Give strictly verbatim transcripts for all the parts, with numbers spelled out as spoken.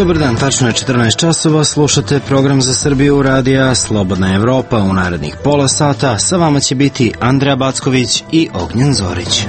Dobar dan, tačno je četrnaest časova, slušate program za Srbiju radija Slobodna Evropa. U narednih pola sata sa vama će biti Andreja Backović i Ognjen Zorić.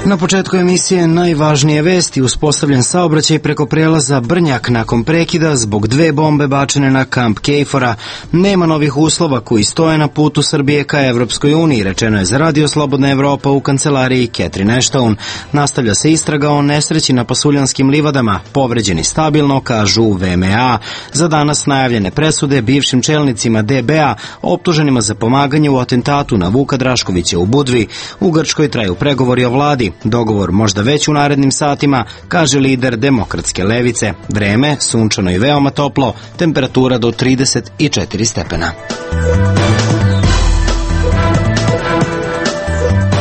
Na početku emisije najvažnije vesti: uspostavljen saobraćaj preko prelaza Brnjak nakon prekida zbog dve bombe bačene na kamp Kejfora. Nema novih uslova koji stoje na putu Srbije ka Evropskoj uniji, rečeno je za radio Slobodna Evropa u kancelariji Catherine Ashton. Nastavlja se istraga o nesreći na Pasuljanskim livadama. Povređeni stabilno, kažu u V M A. Za danas najavljene presude bivšim čelnicima D B A optuženima za pomaganje u atentatu na Vuka Draškovića u Budvi. U Grčkoj traju pregovori o vladi. Dogovor možda već u narednim satima, kaže lider demokratske levice. Vreme, sunčano i veoma toplo, temperatura do trideset četiri stepena.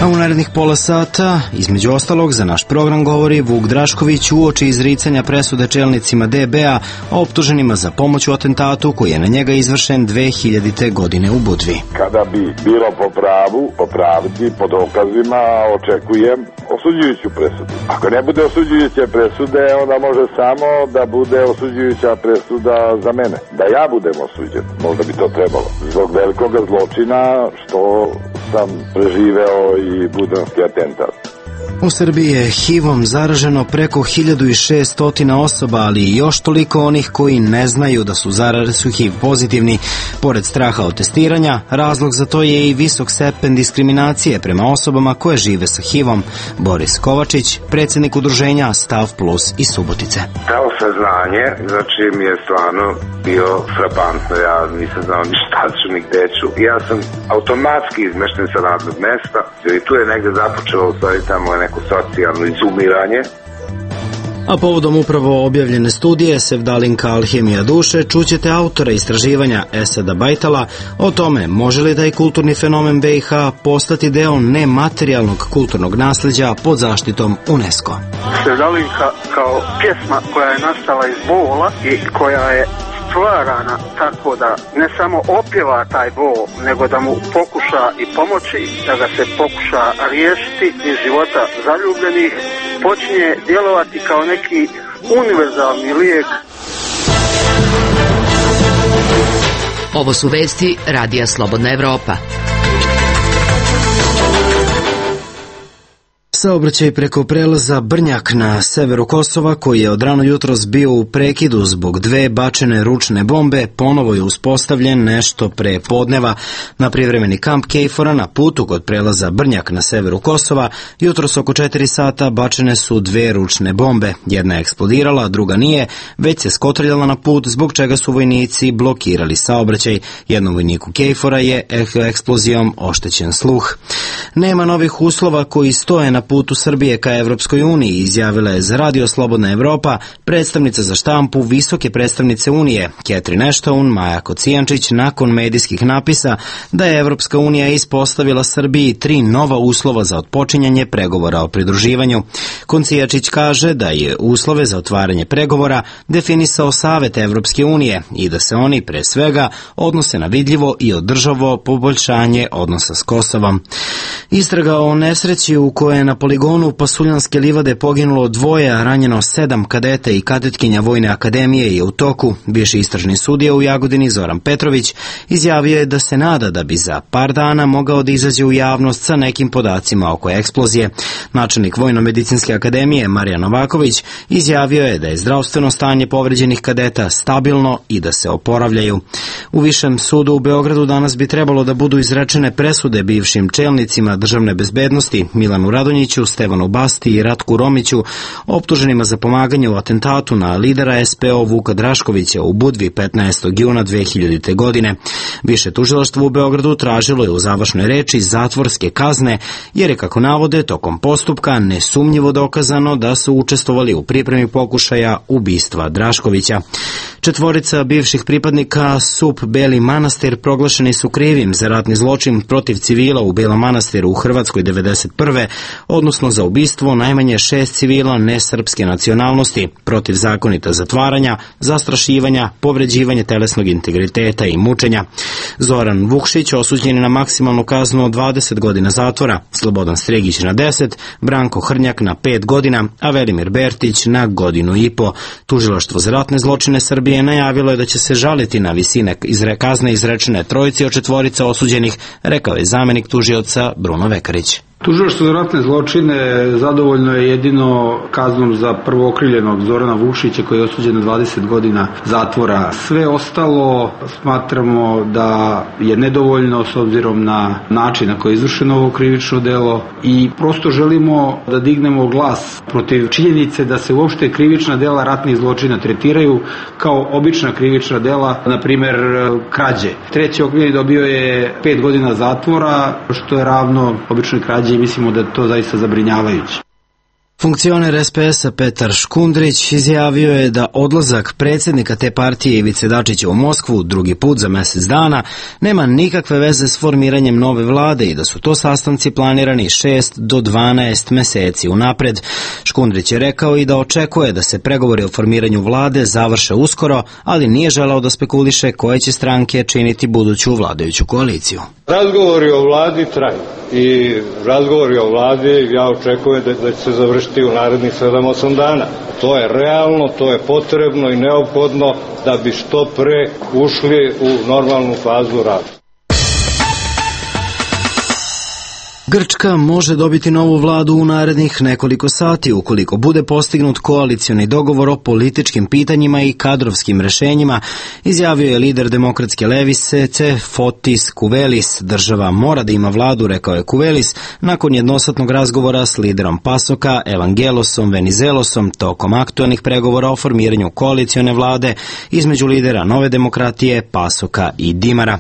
A u narednih pola sata, između ostalog, za naš program govori Vuk Drašković uoči izricanja presude čelnicima D B A optuženima za pomoć u atentatu koji je na njega izvršen dve hiljadite. godine u Budvi. Kada bi bilo po pravu, po pravdi, po dokazima, očekujem osuđujuću presudu. Ako ne bude osuđujuće presude, onda može samo da bude osuđujuća presuda za mene. Da ja budem osuđen, možda bi to trebalo. Zbog velikog zločina što sam preživeo i budanski atentat. U Srbiji je H I V-om zaraženo preko hiljadu šesto osoba, ali i još toliko onih koji ne znaju da su zaraženi H I V pozitivni. Pored straha od testiranja, razlog za to je i visok stepen diskriminacije prema osobama koje žive sa H I V-om. Boris Kovačić, predsjednik udruženja Stav Plus iz Subotice. To saznanje, znači mi je stvarno bio frapantno, ja nisam znao ni šta ću, ni gde ću. Ja sam automatski izmešten sa radnog mesta i tu je negde započelo u stvari tamo neko socijalno izumiranje. A povodom upravo objavljene studije Sevdalinka alhemija duše, čućete autora istraživanja Esada Bajtala o tome može li taj kulturni fenomen B i H postati deo nematerijalnog kulturnog nasleđa pod zaštitom UNESCO. Sevdalinka kao pjesma koja je nastala iz bola i koja je stvarana tako da ne samo opjeva taj bol, nego da mu pokuša i pomoći, da ga se pokuša riješiti iz života zaljubljenih, počinje djelovati kao neki univerzalni lijek. Ovo su vesti radija Slobodna Evropa. Saobraćaj preko prelaza Brnjak na severu Kosova, koji je od rano jutros bio u prekidu zbog dve bačene ručne bombe, ponovo je uspostavljen nešto pre podneva. Na privremeni kamp Kejfora na putu kod prelaza Brnjak na severu Kosova jutros oko četiri sata bačene su dve ručne bombe. Jedna je eksplodirala, a druga nije, već se skotrljala na put, zbog čega su vojnici blokirali saobraćaj. Jednom vojniku Kejfora je eksplozijom oštećen sluh. Nema novih uslova koji stoje na putu Srbije ka Evropskoj uniji, izjavila je za radio Slobodna Evropa predstavnica za štampu visoke predstavnice Unije, Catherine Ashton, Maja Kocijančić, nakon medijskih napisa da je Evropska unija ispostavila Srbiji tri nova uslova za otpočinjanje pregovora o pridruživanju. Kocijančić kaže da je uslove za otvaranje pregovora definisao Savet Evropske unije i da se oni pre svega odnose na vidljivo i održavo poboljšanje odnosa s Kosovom. Istraga o nesreći u kojoj je na poligonu Pasuljanske livade poginulo dvoje, a ranjeno sedam kadeta i kadetkinja Vojne akademije je u toku. Bivši istražni sudija u Jagodini Zoran Petrović izjavio je da se nada da bi za par dana mogao da izađe u javnost sa nekim podacima oko eksplozije. Načelnik Vojno-medicinske akademije Marijan Novaković izjavio je da je zdravstveno stanje povređenih kadeta stabilno i da se oporavljaju. U Višem sudu u Beogradu danas bi trebalo da budu izrečene presude bivšim čelnicima državne bezbednosti Milanu Radonjiću, Stevanu Basti i Ratku Romiću, optuženima za pomaganje u atentatu na lidera S P O Vuka Draškovića u Budvi petnaestog juna dve hiljadite. godine. Više tužilaštvo u Beogradu tražilo je u završnoj reči zatvorske kazne, jer je, kako navode, tokom postupka nesumnjivo dokazano da su učestvovali u pripremi pokušaja ubistva Draškovića. Četvorica bivših pripadnika S U P Beli Manastir proglašeni su krivim za ratni zločin protiv civila u Belom Manastiru u Hrvatskoj devedeset prve odnosno za ubistvo najmanje šest civila nesrpske nacionalnosti, protivzakonita zatvaranja, zastrašivanja, povređivanje telesnog integriteta i mučenja. Zoran Vukšić osuđen je na maksimalnu kaznu od dvadeset godina zatvora, Slobodan Stregić na deset, Branko Hrnjak na pet godina, a Velimir Bertić na godinu i po. Tužilaštvo za ratne zločine Srbije najavilo je da će se žaliti na visine izre kazne izrečene trojici od četvorica osuđenih, rekao je zamenik tužioca Bruno Vekarić. Tužilaštvo za ratne zločine zadovoljno je jedino kaznom za prvookrivljenog Zorana Vukšića koji je osuđen na dvadeset godina zatvora. Sve ostalo smatramo da je nedovoljno s obzirom na način na koji je izvršeno ovo krivično delo i prosto želimo da dignemo glas protiv činjenice da se uopšte krivična dela ratnih zločina tretiraju kao obična krivična dela, na primer krađe. Treći okrivljeni dobio je pet godina zatvora, što je ravno običnoj krađi i mislimo da je to zaista zabrinjavajuće. Funkcioner es pe es-a Petar Škundrić izjavio je da odlazak predsjednika te partije Ivice Dačića u Moskvu drugi put za mjesec dana nema nikakve veze s formiranjem nove vlade i da su to sastanci planirani šest do dvanaest meseci unapred. Škundrić je rekao i da očekuje da se pregovori o formiranju vlade završe uskoro, ali nije želeo da spekuliše koje će stranke činiti buduću vladajuću koaliciju. Razgovori o vladi traju i razgovori o vladi ja očekujem da, da će se završiti u narednih sedam osam dana. To je realno, to je potrebno i neophodno da bi što pre ušli u normalnu fazu rada. Grčka može dobiti novu vladu u narednih nekoliko sati ukoliko bude postignut koalicioni dogovor o političkim pitanjima i kadrovskim rešenjima, izjavio je lider demokratske levice Fotis Kuvelis. Država mora da ima vladu, rekao je Kuvelis, nakon jednosatnog razgovora s liderom Pasoka Evangelosom Venizelosom tokom aktuelnih pregovora o formiranju koalicione vlade između lidera Nove demokratije, Pasoka i Dimara.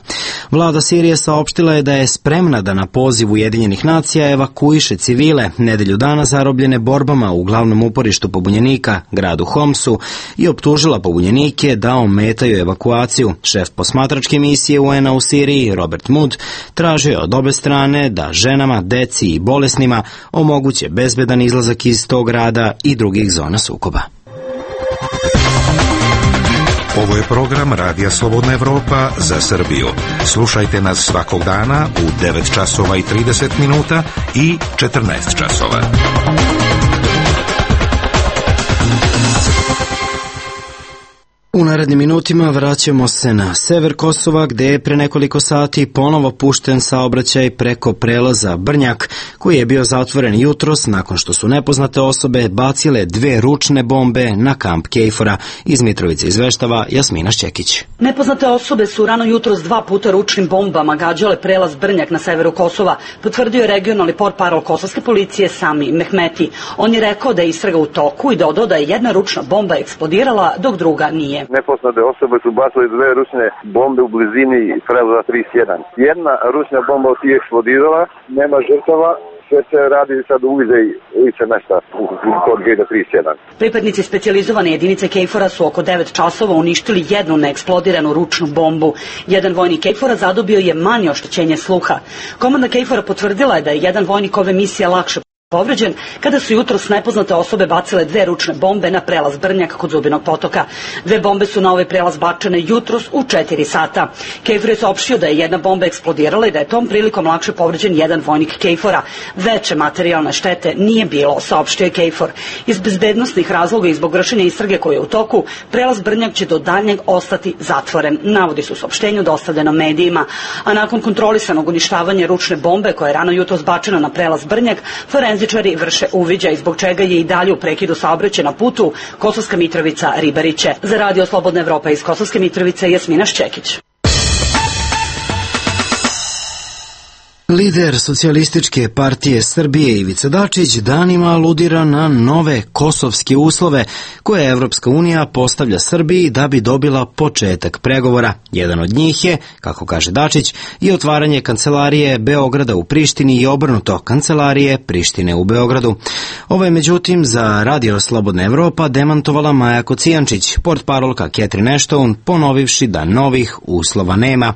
Vlada Sirije saopštila je da je spremna da na poziv Ujedinjenih nacija evakuiše civile nedelju dana zarobljene borbama u glavnom uporištu pobunjenika, gradu Homsu, i optužila pobunjenike da ometaju evakuaciju. Šef posmatračke misije u en a u Siriji, Robert Mood, tražio je od obe strane da ženama, deci i bolesnima omoguće bezbedan izlazak iz tog grada i drugih zona sukoba. Ovo je program Radija Slobodna Evropa za Srbiju. Slušajte nas svakog dana u devet časova i trideset minuta i četrnaest časova. U narednim minutima vraćamo se na sever Kosova, gde je pre nekoliko sati ponovo pušten saobraćaj preko prelaza Brnjak, koji je bio zatvoren jutros nakon što su nepoznate osobe bacile dve ručne bombe na kamp Kejfora. Iz Mitrovice izveštava Jasmina Šćekić. Nepoznate osobe su rano jutros dva puta ručnim bombama gađale prelaz Brnjak na severu Kosova, potvrdio je regionalni portparol kosovske policije Sami Mehmeti. On je rekao da je istraga u toku i dodao da je jedna ručna bomba eksplodirala, dok druga nije. Nepoznate osobe su bacili dve ručne bombe u blizini prelaza trideset jedan. Jedna ručna bomba od tih eksplodirala, nema žrtava, sve se radi sad uviđaj lice mesta kod gejta trideset jedan. Pripadnici specijalizovane jedinice Kejfora su oko devet časova uništili jednu neeksplodiranu ručnu bombu. Jedan vojnik Kejfora zadobio je manje oštećenje sluha. Komanda Kejfora potvrdila je da je jedan vojnik ove misije lakše povređen kada su jutros nepoznate osobe bacile dve ručne bombe na prelaz Brnjak kod Zubinog potoka. Dve bombe su na ovaj prelaz bačene jutros u četiri sata. Kejfor je saopštio da je jedna bomba eksplodirala i da je tom prilikom lakše povređen jedan vojnik Kejfora. Veće materijalne štete nije bilo, saopštio je Kejfor. Iz bezbednosnih razloga i zbog vršenja istrage koje je u toku, prelaz Brnjak će do daljnjeg ostati zatvoren, navodi su u saopštenju dostavljeno medijima. A nakon kontrolisanog uništavanja ručne bombe koja je rano jutros bačena na prelaz Brnjak, forenzičari vrše uviđaj, zbog čega je i dalje u prekidu saobraćaja na putu Kosovska Mitrovica – Ribariće. Za Radio Slobodna Evropa iz Kosovske Mitrovice, Jasmina Šćekić. Lider Socijalističke partije Srbije Ivica Dačić danima aludira na nove kosovske uslove koje Evropska unija postavlja Srbiji da bi dobila početak pregovora. Jedan od njih je, kako kaže Dačić, i otvaranje kancelarije Beograda u Prištini i obrnuto, kancelarije Prištine u Beogradu. Ovo je međutim za Radio Slobodna Evropa demantovala Maja Kocijančić, portparolka Catherine Ashton, ponovivši da novih uslova nema.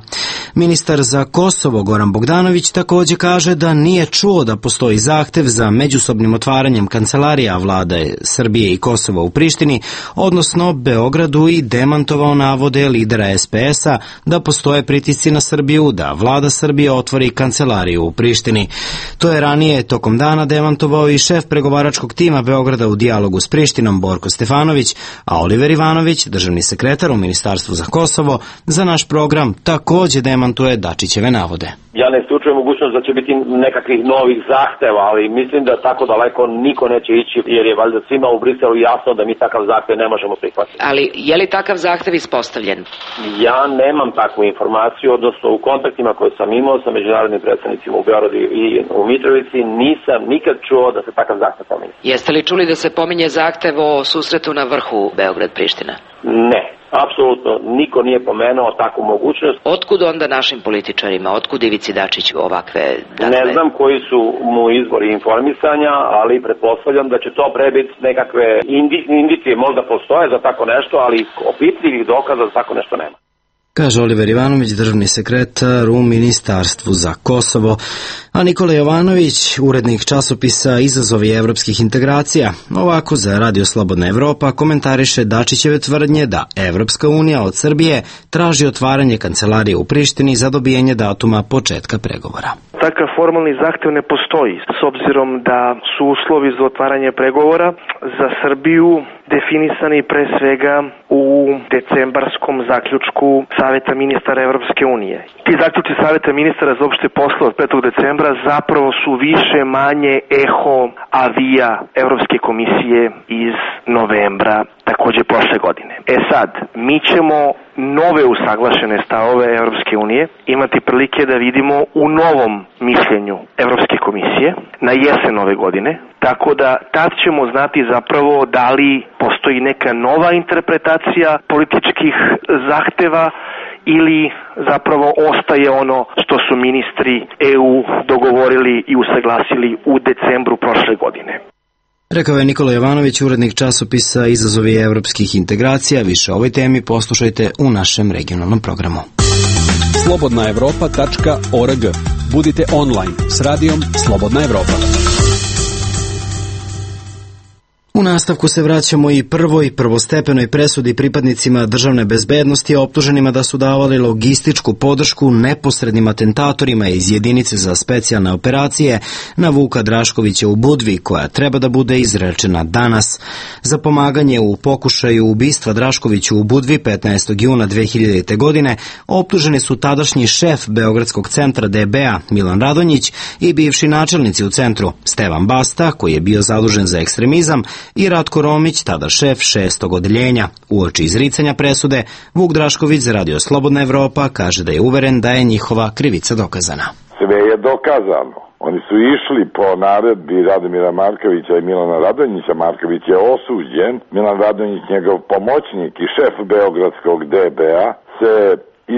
Ministar za Kosovo Goran Bogdanović također kaže da nije čuo da postoji zahtev za međusobnim otvaranjem kancelarija vlade Srbije i Kosova u Prištini, odnosno Beogradu, i demantovao navode lidera es pe es-a da postoje pritisci na Srbiju da vlada Srbije otvori kancelariju u Prištini. To je ranije tokom dana demantovao i šef pregovaračkog tima Beograda u dijalogu s Prištinom Borko Stefanović, a Oliver Ivanović, državni sekretar u Ministarstvu za Kosovo, za naš program također demantuje Dačićeve navode. Ja ne isključujem mogućnost da će biti nekakvih novih zahteva, ali mislim da tako daleko niko neće ići, jer je valjda svima u Briselu jasno da mi takav zahtev ne možemo prihvatiti. Ali je li takav zahtev ispostavljen? Ja nemam takvu informaciju, odnosno u kontaktima koje sam imao sa međunarodnim predstavnicima u Beogradu i u Mitrovici nisam nikad čuo da se takav zahtev pominje. Jeste li čuli da se pominje zahtev o susretu na vrhu Beograd-Priština? Ne. Apsolutno niko nije pomenuo takvu mogućnost. Otkud onda našim političarima, otkud Ivici Dačiću ovakve... Dakle... Ne znam koji su mu izvori informisanja, ali pretpostavljam da će to prebiti nekakve indi, indicije, možda postoje za tako nešto, ali opipljivih dokaza za tako nešto nema. Kaže Oliver Ivanović, državni sekretar u Ministarstvu za Kosovo, a Nikola Jovanović, urednik časopisa Izazovi evropskih integracija, ovako za Radio Slobodna Evropa komentariše Dačićeve tvrdnje da Evropska unija od Srbije traži otvaranje kancelarije u Prištini za dobijanje datuma početka pregovora. Takav formalni zahtev ne postoji, s obzirom da su uslovi za otvaranje pregovora za Srbiju definisani pre svega u decembarskom zaključku Saveta ministara Evropske unije. Ti zaključci Saveta ministara za opšte poslove od petog decembra zapravo su više manje eho avija Evropske komisije iz novembra takođe prošle godine. E sad, mi ćemo nove usaglašene stavove Evropske unije imati prilike da vidimo u novom mišljenju Evropske komisije na jesen ove godine, tako da tad ćemo znati zapravo da li postoji neka nova interpretacija političkih zahteva ili zapravo ostaje ono što su ministri E U dogovorili i usaglasili u decembru prošle godine. Rekao je Nikola Jovanović, urednik časopisa Izazovi evropskih integracija. Više o ovoj temi poslušajte u našem regionalnom programu. slobodna evropa tačka org. Budite online s radijom Slobodna Evropa. U nastavku se vraćamo i prvoj prvostepenoj presudi pripadnicima državne bezbednosti optuženima da su davali logističku podršku neposrednim atentatorima iz jedinice za specijalne operacije na Vuka Draškovića u Budvi, koja treba da bude izrečena danas. Za pomaganje u pokušaju ubistva Draškovića u Budvi petnaestog juna dve hiljadite. godine optuženi su tadašnji šef Beogradskog centra D B A Milan Radonjić i bivši načelnici u centru Stevan Basta, koji je bio zadužen za ekstremizam, i Ratko Romić, tada šef šestog odeljenja. Uoči izricanja presude, Vuk Drašković za Radio Slobodna Evropa kaže da je uveren da je njihova krivica dokazana. Sve je dokazano. Oni su išli po naredbi Radomira Markovića i Milana Radonjića. Marković je osuđen. Milan Radonjić, njegov pomoćnik i šef Beogradskog D B A, se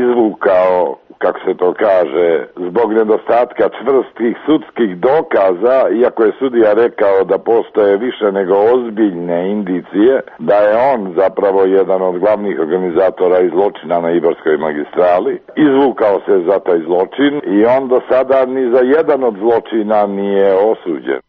izvukao, kako se to kaže, zbog nedostatka čvrstih sudskih dokaza, iako je sudija rekao da postoje više nego ozbiljne indicije, da je on zapravo jedan od glavnih organizatora i zločina na Ibarskoj magistrali. Izvukao se za taj zločin i on do sada ni za jedan od zločina nije osuđen.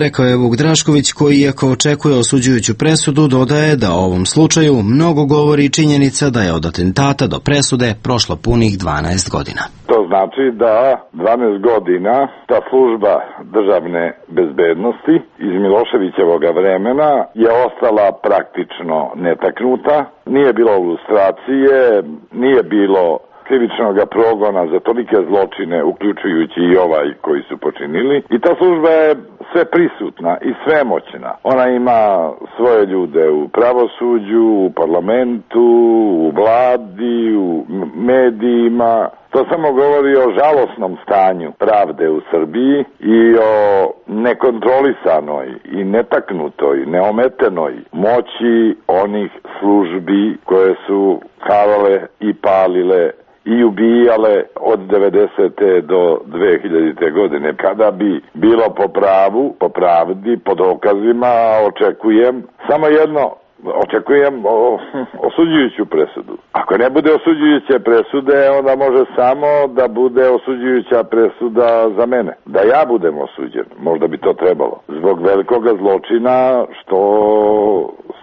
Rekao je Vuk Drašković, koji iako očekuje osuđujuću presudu, dodaje da o ovom slučaju mnogo govori činjenica da je od atentata do presude prošlo punih dvanaest godina. To znači da dvanaest godina ta služba državne bezbednosti iz Miloševićevog vremena je ostala praktično netaknuta, nije bilo lustracije, nije bilo krivičnog progona za tolike zločine, uključujući i ovaj koji su počinili. I ta služba je sve prisutna i svemoćna. Ona ima svoje ljude u pravosuđu, u parlamentu, u vladi, u medijima. To samo govori o žalosnom stanju pravde u Srbiji i o nekontrolisanoj i netaknutoj, neometenoj moći onih službi koje su harale i palile i ubijale od devedesete do dve hiljadite. godine. Kada bi bilo po pravu, po pravdi, po dokazima, očekujem samo jedno očekujem o, osuđujuću presudu. Ako ne bude osuđujuće presude, onda može samo da bude osuđujuća presuda za mene. Da ja budem osuđen, možda bi to trebalo. Zbog velikoga zločina što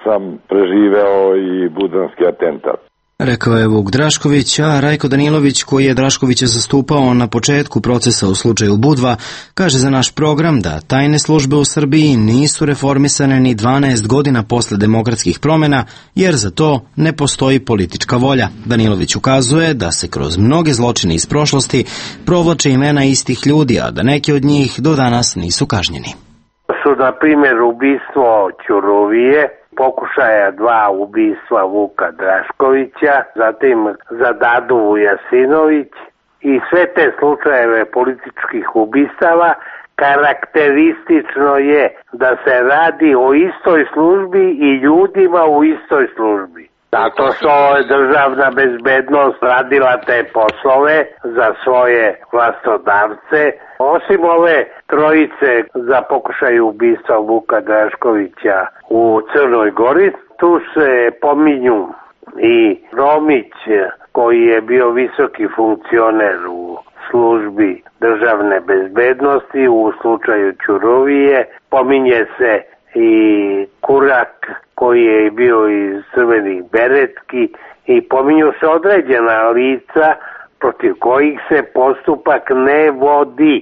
sam preživeo i budanski atentat. Rekao je Vuk Drašković, a Rajko Danilović, koji je Draškovića zastupao na početku procesa u slučaju Budva, kaže za naš program da tajne službe u Srbiji nisu reformisane ni dvanaest godina posle demokratskih promjena, jer za to ne postoji politička volja. Danilović ukazuje da se kroz mnoge zločine iz prošlosti provlače imena istih ljudi, a da neki od njih do danas nisu kažnjeni. Su, na primjer, ubistvo Ćuruvije, pokušaja dva ubistva Vuka Draškovića, zatim za Dadu Vujasinović i sve te slučajeve političkih ubistava. Karakteristično je da se radi o istoj službi i ljudima u istoj službi. Zato što je državna bezbednost radila te poslove za svoje vlastodavce. Osim ove trojice za pokušaj ubistva Vuka Draškovića u Crnoj Gori, tu se pominju i Romić, koji je bio visoki funkcioner u službi državne bezbednosti u slučaju Ćuruvije. Pominje se i Kurak, koji je bio iz Crvenih beretki, i pominju se određena lica protiv kojih se postupak ne vodi.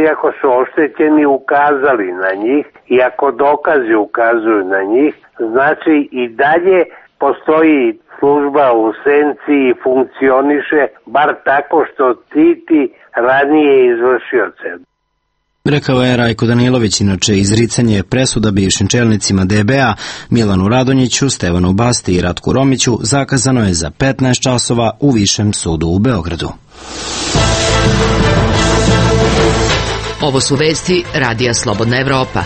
Iako su oštećeni ukazali na njih i ako dokazi ukazuju na njih, znači i dalje postoji služba u senci i funkcioniše, bar tako što štiti ranije izvršioce. Rekao je Rajko Danilović. Inače, izricanje presuda bivšim čelnicima D B A Milanu Radonjiću, Stevanu Basti i Ratku Romiću zakazano je za petnaest časova u Višem sudu u Beogradu. Ovo su vesti Radija Slobodna Evropa.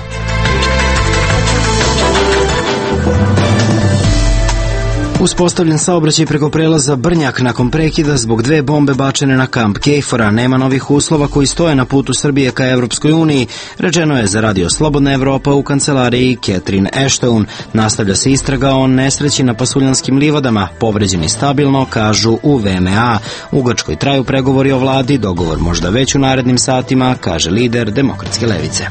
Uspostavljen saobraćaj preko prelaza Brnjak nakon prekida zbog dve bombe bačene na kamp Kejfora. Nema novih uslova koji stoje na putu Srbije ka Evropskoj uniji, rečeno je za Radio Slobodna Evropa u kancelariji Catherine Ashton. Nastavlja se istraga o nesreći na Pasuljanskim livadama. Povređeni stabilno, kažu u V M A. U Grčkoj traju pregovori o vladi, dogovor možda već u narednim satima, kaže lider Demokratske levice.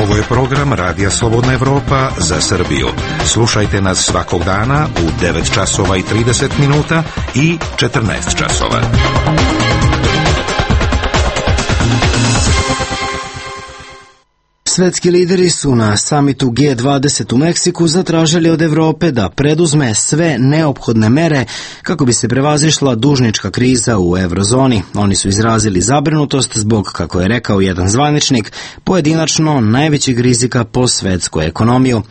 Ovo je program Radija Slobodna Evropa za Srbiju. Slušajte nas svakog dana u devet časova i trideset minuta i četrnaest časova. Svetski lideri su na samitu G dvadeset u Meksiku zatražili od Evrope da preduzme sve neophodne mere kako bi se prevazišla dužnička kriza u eurozoni. Oni su izrazili zabrinutost zbog, kako je rekao jedan zvaničnik, pojedinačno najvećeg rizika po svetsku ekonomiju.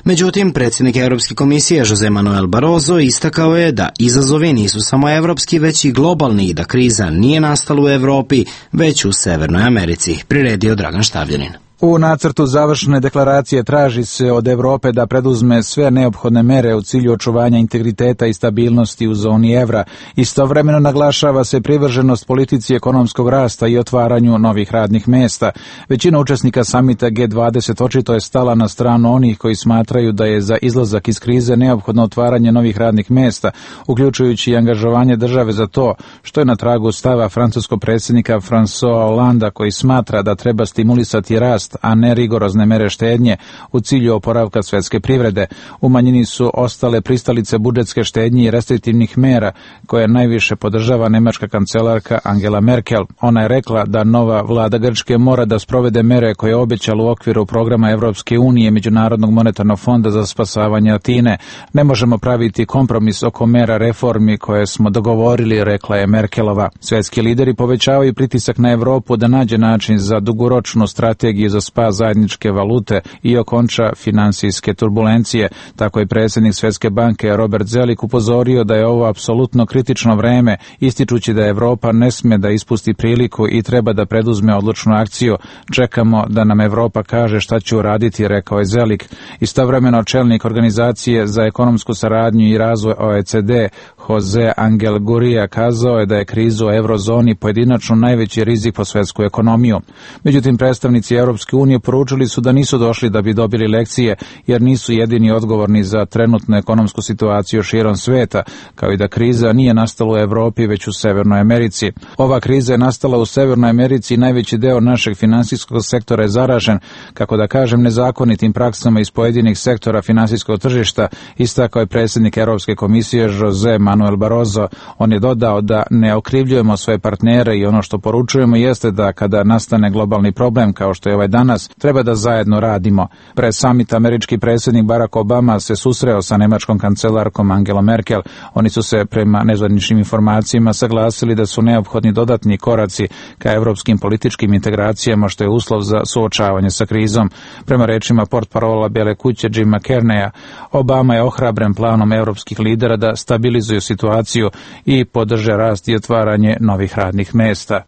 Međutim, predsjednik Europske komisije Jose Manuel Barroso istakao je da izazovi nisu samo evropski, već i globalni i da kriza nije nastala u Evropi, već u Severnoj Americi, priredio Dragan Štavljanin. U nacrtu završne deklaracije traži se od Evrope da preduzme sve neophodne mere u cilju očuvanja integriteta i stabilnosti u zoni evra. Istovremeno naglašava se privrženost politici ekonomskog rasta i otvaranju novih radnih mesta. Većina učesnika samita G dvadeset očito je stala na stranu onih koji smatraju da je za izlazak iz krize neophodno otvaranje novih radnih mesta, uključujući i angažovanje države za to, što je na tragu stava francuskog predsjednika François Hollanda, koji smatra da treba stimulisati rast, a ne rigorozne mere štednje u cilju oporavka svetske privrede. U manjini su ostale pristalice budžetske štednje i restriktivnih mera koje najviše podržava nemačka kancelarka Angela Merkel. Ona je rekla da nova vlada Grčke mora da sprovede mere koje je obećala u okviru programa Evropske unije Međunarodnog monetarnog fonda za spasavanje Atine. Ne možemo praviti kompromis oko mera reformi koje smo dogovorili, rekla je Merkelova. Svetski lideri povećavaju pritisak na Evropu da nađe način za dugoročnu strategiju za spas zajedničke valute i okonča finansijske turbulencije. Tako je predsjednik Svjetske banke Robert Zelik upozorio da je ovo apsolutno kritično vreme, ističući da Evropa ne sme da ispusti priliku i treba da preduzme odlučnu akciju. Čekamo da nam Evropa kaže šta će uraditi, rekao je Zelik. Istovremeno čelnik organizacije za ekonomsku saradnju i razvoj O E C D Jose Angel Gurria kazao je da je kriza u eurozoni pojedinačno najveći rizik po svetsku ekonomiju. Međutim, predstavnici Europske unije poručili su da nisu došli da bi dobili lekcije, jer nisu jedini odgovorni za trenutnu ekonomsku situaciju širom sveta, kao i da kriza nije nastala u Evropi, već u Severnoj Americi. Ova kriza je nastala u Severnoj Americi i najveći deo našeg finansijskog sektora je zaražen, kako da kažem, nezakonitim praksama iz pojedinih sektora finansijskog tržišta, istakao je predsjednik Europske komisije Jose Manuel Barroso. On je dodao da ne okrivljujemo svoje partnere i ono što poručujemo jeste da kada nastane globalni problem kao što je ovaj danas, treba da zajedno radimo. Pred samit američki predsjednik Barack Obama se susreo sa nemačkom kancelarkom Angelom Merkel. Oni su se prema nezvaničnim informacijama saglasili da su neophodni dodatni koraci ka evropskim političkim integracijama, što je uslov za suočavanje sa krizom. Prema rečima portparola Bele kuće Jima Carneya, Obama je ohrabren planom evropskih lidera da stabilizuju situaciju i podrže rast i otvaranje novih radnih mesta.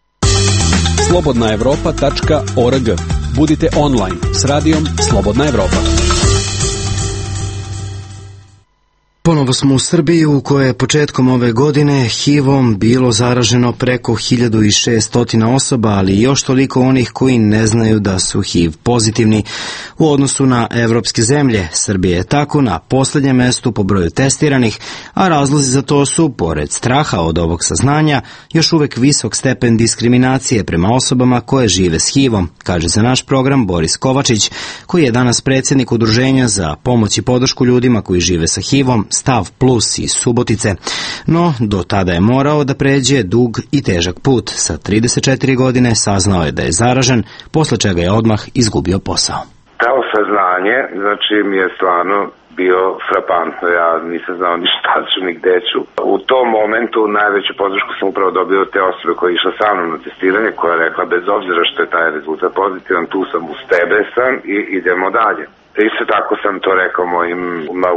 slobodna evropa tačka org. Budite online s radijom Slobodna Evropa. Ponovo smo u Srbiji, u kojoj je početkom ove godine H I V-om bilo zaraženo preko hiljadu šesto osoba, ali i još toliko onih koji ne znaju da su H I V pozitivni. U odnosu na evropske zemlje, Srbija je tako na posljednjem mestu po broju testiranih, a razlozi za to su, pored straha od ovog saznanja, još uvek visok stepen diskriminacije prema osobama koje žive s H I V-om, kaže za naš program Boris Kovačić, koji je danas predsjednik Udruženja za pomoć i podršku ljudima koji žive sa H I V-om, Stav Plus iz Subotice, no do tada je morao da pređe dug i težak put. Sa trideset četiri godine saznao je da je zaražen, posle čega je odmah izgubio posao. To saznanje, znači, mi je stvarno bio frapantno. Ja nisam znao ni šta ću, ni gde ću. U tom momentu najveću podršku sam upravo dobio od te osobe koja je išla sa mnom na testiranje, koja je rekla, bez obzira što je taj rezultat pozitivan, tu sam, uz tebe sam i idemo dalje. Isto tako sam to rekao mojim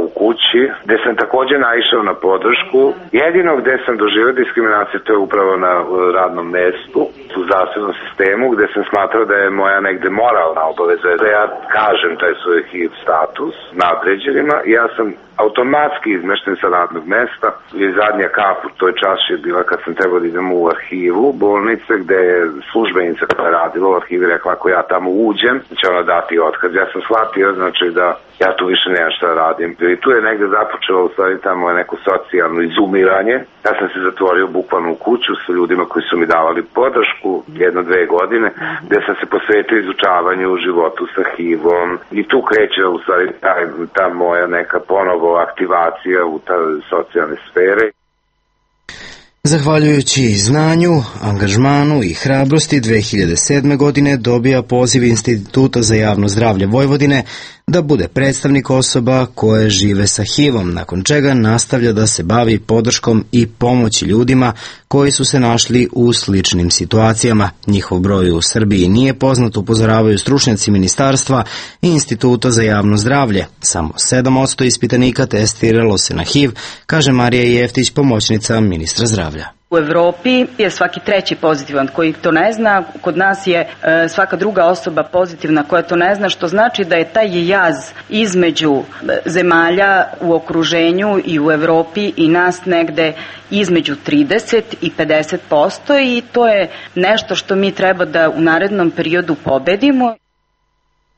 u kući, gde sam također naišao na podršku. Jedino gde sam doživio diskriminaciju, to je upravo na radnom mestu, u zdravstvenom sistemu, gde sam smatrao da je moja negde moralna obaveza da ja kažem taj svoj H I V status nadređenima. Ja sam automatski izmešten sa radnog mesta i zadnja kap u toj čaši je bila kad sam trebao da idem u arhivu bolnice, gde je službenica koja je radila u arhivi rekla, ako ja tamo uđem, će ona dati otkaz. Ja sam shvatio, znači da ja tu više nemam šta radim. I tu je negde započelo u stvari tamo neko socijalno izumiranje. Ja sam se zatvorio bukvalno u kuću sa ljudima koji su mi davali podršku jedno, dve godine, gde sam se posvetio izučavanju u životu sa H I V-om. I tu kreće u stvari ta, ta moja neka ponovo aktivacija u ta socijalne sfere. Zahvaljujući znanju, angažmanu i hrabrosti, dve hiljade sedme. godine dobija poziv Instituta za javno zdravlje Vojvodine da bude predstavnik osoba koje žive sa H I V-om, nakon čega nastavlja da se bavi podrškom i pomoći ljudima koji su se našli u sličnim situacijama. Njihov broj u Srbiji nije poznat, upozoravaju stručnjaci ministarstva i Instituta za javno zdravlje. Samo sedam posto ispitanika testiralo se na H I V, kaže Marija Jeftić, pomoćnica ministra zdravlja. U Evropi je svaki treći pozitivan koji to ne zna, kod nas je e, svaka druga osoba pozitivna koja to ne zna, što znači da je taj jaz između zemalja u okruženju i u Evropi i nas negde između trideset i pedeset posto i to je nešto što mi treba da u narednom periodu pobedimo.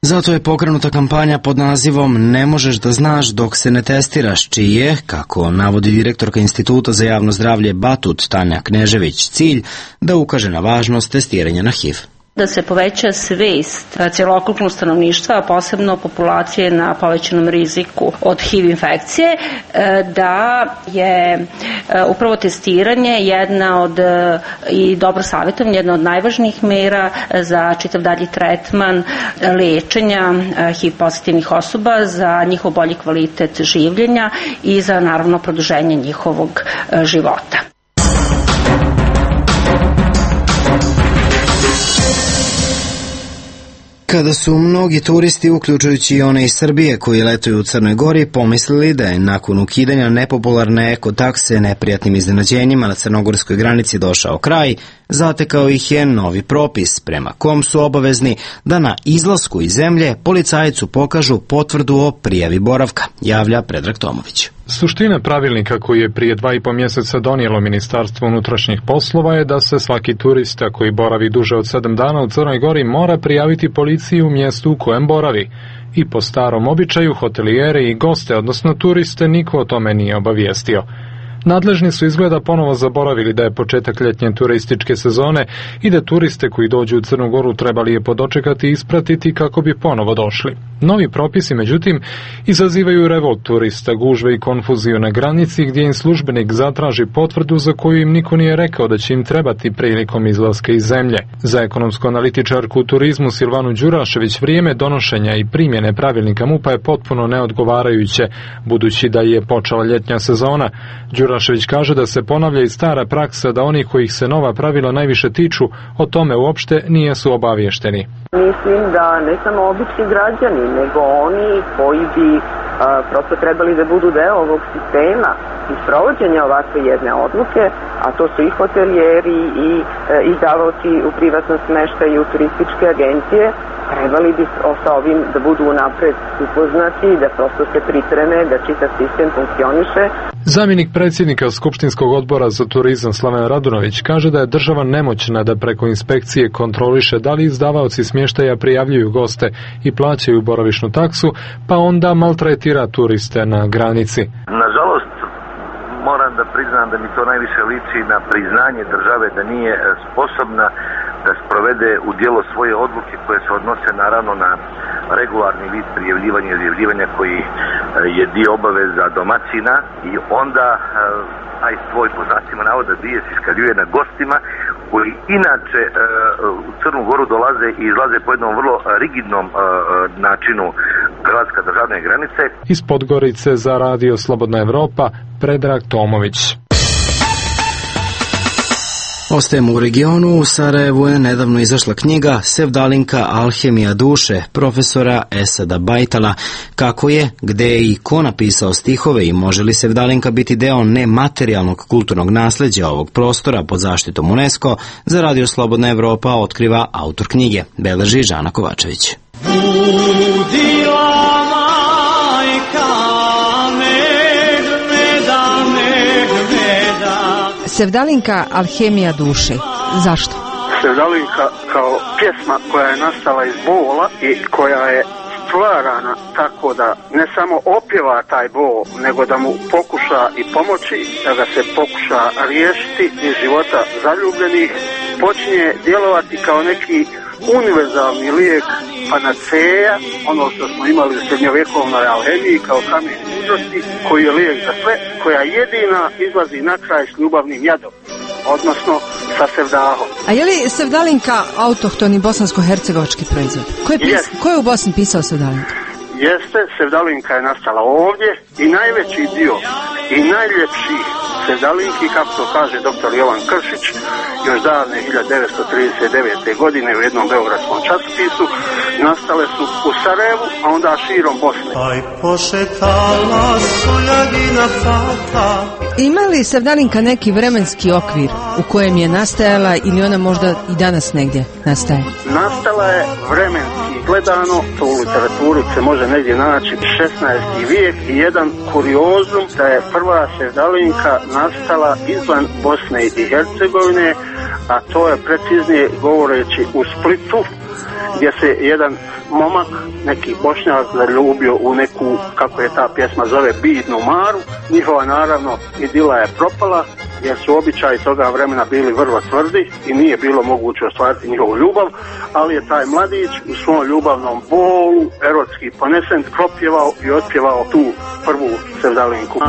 Zato je pokrenuta kampanja pod nazivom Ne možeš da znaš dok se ne testiraš, čiji je, kako navodi direktorka Instituta za javno zdravlje Batut Tanja Knežević, cilj da ukaže na važnost testiranja na H I V. Da se poveća svest celokupnog stanovništva, a posebno populacije na povećanom riziku od H I V infekcije, da je upravo testiranje jedna od, i dobro savjetovanje, jedna od najvažnijih mera za čitav dalji tretman lečenja H I V pozitivnih osoba, za njihov bolji kvalitet življenja i za naravno produženje njihovog života. Kada su mnogi turisti, uključujući i one iz Srbije koji letuju u Crnoj Gori, pomislili da je nakon ukidanja nepopularne eko takse neprijatnim iznenađenjima na crnogorskoj granici došao kraj, Zatekao ih je novi propis prema kom su obavezni da na izlasku iz zemlje policajcu pokažu potvrdu o prijavi boravka, javlja Predrag Tomović. Suština pravilnika koji je prije dva i po mjeseca donijelo Ministarstvo unutrašnjih poslova je da se svaki turista koji boravi duže od sedam dana u Crnoj Gori mora prijaviti policiji u mjestu u kojem boravi. I po starom običaju hotelijere i goste, odnosno turiste, niko o tome nije obavijestio. Nadležni su izgleda ponovo zaboravili da je početak ljetnje turističke sezone i da turiste koji dođu u Crnu Goru trebali je podočekati i ispratiti kako bi ponovo došli. Novi propisi, međutim, izazivaju revolt turista, gužve i konfuziju na granici gdje im službenik zatraži potvrdu za koju im niko nije rekao da će im trebati prilikom izlaska iz zemlje. Za ekonomsku analitičarku u turizmu Silvanu Đurašević vrijeme donošenja i primjene pravilnika MUP-a je potpuno neodgovarajuće, budući da je počela ljetnja sezona. Đurašević kaže da se ponavlja i stara praksa da oni kojih se nova pravila najviše tiču o tome uopšte nijesu obavješteni. Mislim da ne samo obični građani, nego oni koji bi a, prosto trebali da budu deo ovog sistema i sprovođenja ovakve jedne odluke, a to su i hotelijeri i e, izdavaoci u privatnom smeštaju i u turističke agencije, trebali bi sa ovim da budu unapred upoznati, da prosto se pripreme, da čitav sistem funkcioniše. Zamjenik predsjednika Skupštinskog odbora za turizam Slaven Radunović kaže da je država nemoćna da preko inspekcije kontroliše da li izdavaoci smještaja prijavljuju goste i plaćaju boravišnu taksu, pa onda maltretira turiste na granici. Nažalost, moram da priznam da mi to najviše liči na priznanje države da nije sposobna da sprovede u djelo svoje odluke koje se odnose naravno na regularni vid prijavljivanja i izjavljivanja koji je dio obaveza domaćina i onda taj svoj po znacima navoda bijes iskaljuje na gostima koji inače u Crnu Goru dolaze i izlaze po jednom vrlo rigidnom načinu hrvatske državne granice. Iz Podgorice za radio Slobodna Evropa, Predrag Tomović. Ostajemo u regionu. U Sarajevu je nedavno izašla knjiga Sevdalinka Alhemija duše profesora Esada Bajtala. Kako je, gde je i ko napisao stihove i može li Sevdalinka biti deo nematerijalnog kulturnog nasljeđa ovog prostora pod zaštitom UNESCO, za radio Slobodna Evropa otkriva autor knjige, beleži Žana Kovačević. Sevdalinka Alhemija duše. Zašto? Sevdalinka kao pjesma koja je nastala iz bola i koja je stvarana tako da ne samo opjeva taj bol, nego da mu pokuša i pomoći, da ga se pokuša riješiti iz života zaljubljenih, počinje djelovati kao neki univerzalni lijek, panaceja, ono što smo imali u srednjovjekovnoj alhemiji kao kamen mudrosti, koji je lijek za sve, koja jedina izlazi na kraj s ljubavnim jadom, odnosno sa sevdahom. A je li Sevdalinka autohtoni bosansko-hercegovački proizvod? Ko je, pis... Ko je u Bosni pisao Sevdalinka? Jeste, Sevdalinka je nastala ovdje i najveći dio i najljepši Sevdalinki, kako to kaže doktor Jovan Kršić, još davne hiljadu devetsto trideset devete. godine u jednom beogradskom časopisu, nastale su u Sarajevu, a onda širom Bosne. Ima li Sevdalinka neki vremenski okvir u kojem je nastajala ili ona možda i danas negdje nastaje? Nastala je vremenski gledano, to u literaturi se može negdje naći šesnaesti vijek i jedan kuriozum da je prva Sevdalinka nastala izvan Bosne i Hercegovine, a to je preciznije govoreći u Splitu, gdje se jedan momak, neki Bošnjak, zaljubio u neku, kako je ta pjesma zove, bidnu Maru. Njihova naravno idila je propala, jer su običaji toga vremena bili vrlo tvrdi i nije bilo moguće ostvariti njihovu ljubav, ali je taj mladić u svom ljubavnom bolu, erotski ponesen, propjevao i otpjevao tu prvu Sevdalinku.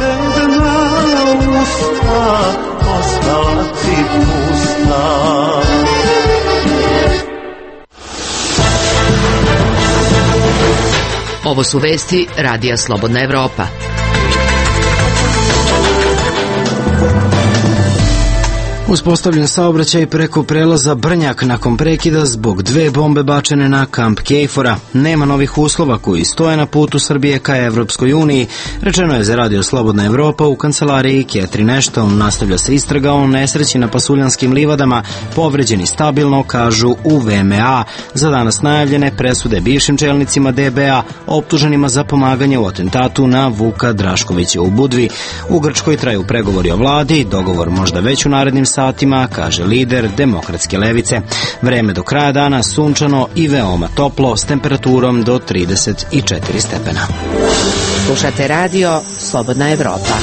Ovo su vesti Radija Slobodna Evropa. U Uspostavljen saobraćaj preko prelaza Brnjak nakon prekida zbog dve bombe bačene na kamp Kejfora. Nema novih uslova koji stoje na putu Srbije ka Evropskoj uniji, rečeno je za Radio Slobodna Evropa u kancelariji Catherine Ashton. Nastavlja se istraga o nesreći na Pasuljanskim livadama, povređeni stabilno, kažu u V M A. Za danas najavljene presude bivšim čelnicima D B A optuženima za pomaganje u atentatu na Vuka Draškovića u Budvi. U Grčkoj traju pregovori o vladi, dogovor možda već u narednim satima, kaže lider Demokratske levice. Vreme do kraja dana sunčano i veoma toplo s temperaturom do trideset četiri stepena. Slušate radio Slobodna Evropa.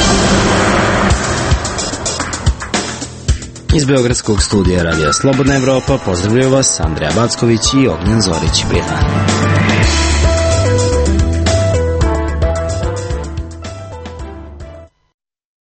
Iz Beogradskog studija Radija Slobodna Evropa pozdravljaju vas Andreja Backović i Ognjen Zorić. Prijatno.